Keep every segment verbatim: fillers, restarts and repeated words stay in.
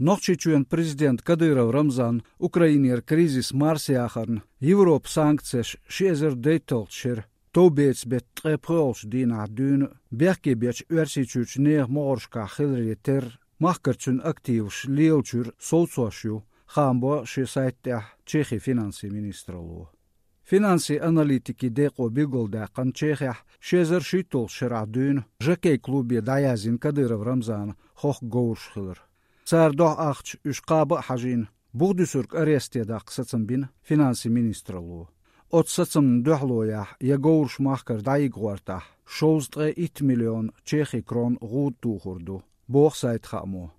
Нохчийчоьнан президента Кадыров Рамзана Украинера кризис марсаяхарна Европа санкцеш ши эзар дейтталгӀачу шеран товбецан беттан ткъе пхоьалгӀачу дийнахь дуьйна бехке бечу Оьрсийчуьрчу нехан могӀаршкахь хиларе терра, махкара цуьнан активаш лелачуьра совцош ю, хаам бо шен сайта тӀехь Чехин финансийн министралло. Финансийн аналитикийн декъо билгалдаьккхина, Чехехь ши эзар шийтталгӀачу шарахь дуьйна жокей-клубе дӀаяздина Кадыров Рамзанан хохку говраш хилар. Цара дуьхьа ахча уьш кхаба а хьажийна, бух дуьсург аресте даккха сацам бина финансийн министралло. Оцу сацамна дуьхьало яхь я говраш махкара дӀайигна гӀортахь, шовзткъа ткъе итт миллион чехи крон гӀуда тухур ду, боху сайта хаамчо.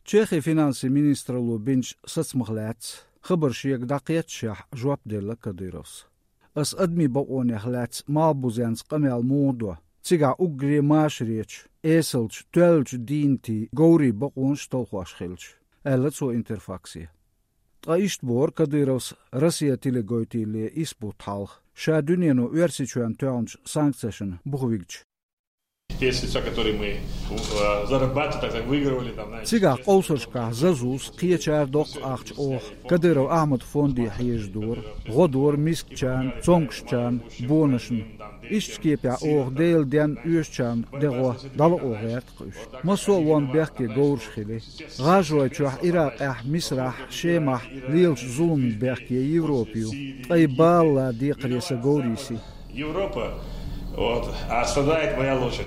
Чехин финансийн министралло бинчу сацамах лаьцна хабар шега дӀакхетташехь жоп делла Кадыровс. Ас адамийн бакъонех лаьцна малхбузенца къамел муха до, цигахь уггаре машаречу, эсалчу, тоьллачу дийнатийн говрийн бакъонаш талхош хилча, аьлла цо Интерфаксе. Ткъа иштта боху Кадыровс Россия телегойтийла исс бутт хьалха, ша дуьнено Оьрсийчоьнна тоьхначу санкцешна буха вигча. Те средства, которые мы, э, зарабатывали, так сказать, выигрывали, там, знаете, Цигахь къовсаршкахь зазус кхечара доккха ахча оха Кадыров Ахьмадан фонде хьежадора, гӀо дора мискачарна, цомгушчарна, бонашна. Иштта кепехь оха Делан денна оьшучарна дегӀо дӀалао гӀерта-кх уьш. Массо а вон бехке говраш хили. ГӀажаройчохь, Иракъехь, Мисрахь, Шемахь лелачу зуламна бехке Европа ю, ткъа и бала декхаре сан говрийн сий. Европа, вот, а страдает моя лошадь.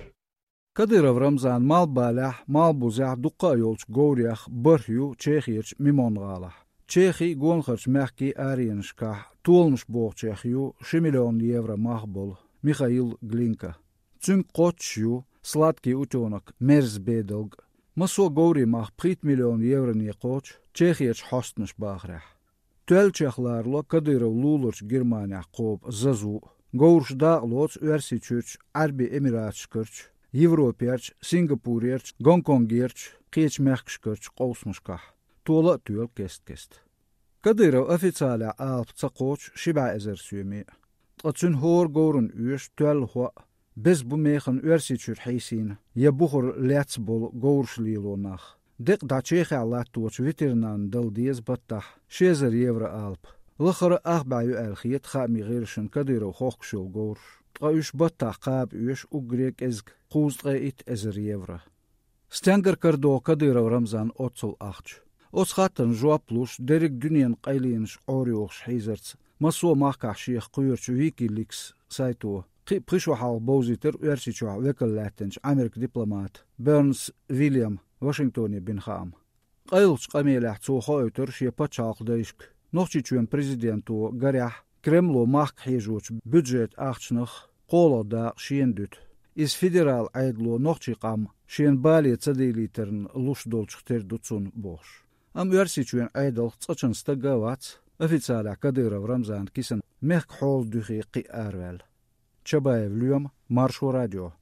Кадыров Рамзанан малхбалехь, малхбузехь дуккха а йолчу говрех бархӀ ю Чехерчу Мемон-гӀалахь. Чехин а, гонахарчу мехкийн а аренашкахь толамаш бохучех ю ши миллион евро мах болу Михаил Глинка. Цуьнга кхоччуш ю сладкий утёнок, мерза бедалг. Массо а говрийн мах пхийтта миллион евроне кхочу Чехерчу хьостанаша бахарехь. Тоьллачех ларало Кадыров луларчу Германехь кхобу зазу а. Говраш дакъалоцу Оьрсийчуьрчу Ӏаьрбийн Эмираташкарчу, Европерчу, Сингапурерчу, Гонконгерчу, кхечу мехкашкарчу къовсамашкахь. Тола а тоьлу кест-кеста. Кадыров официалехь алапа ца кхочу ши бӀе эзар соьме а. Ткъа цуьнан хӀора говрана оьшу тоьлла хӀоъ, беза бу механа Оьрсийчуьра хьийсийна я бухара лецна болу говраш лело нах. Декъа дӀа Чехехь латточу ветеринарна дала деза баттахь ши эзар евро алапа. Лахара а ах бӀе ю аьлла хета хаамийн гӀирсашна Кадыров хохкуш йолу говраш, ткъа уьш баттахь кхаба оьшу уггаре а кӀезиг, кхузткъе итт эзар евро. Стенгара карадо Кадыров Рамзанан оццул ахча? Оцу хаттарна жоп луш, дерриг дуьненан къайленаш Ӏорайохуш хьийзарца, массо а махкахь шех кхоьручу Wikileaks сайто кхин а пхи шо хьалха бовзийтира Оьрсийчохь векал лаьттинчу Ӏамеркан дипломата Бернс Вильяма Вашингтоне бина хаам. Къайлахчу къамелехь цо хоуьйтура шен пачхьалкхан дайшка, Нохчийчоьнан президенто гарехь, Кремло махка хьежочу бюджетан ахчанах кхоалгӀа дакъа шена дуьту. Иза федералан Ӏедало нохчийн къам шена бале ца дийлийтарна луш долчух тера ду цунна, бохуш. Амма Оьрсийчоьнан Ӏедалх цкъачунна стага а вац официалехь Кадыров Рамзанан кисана мехкан хьолан дуьхе кхин а араваьлла. Чабаев Лоьма, Маршо радио.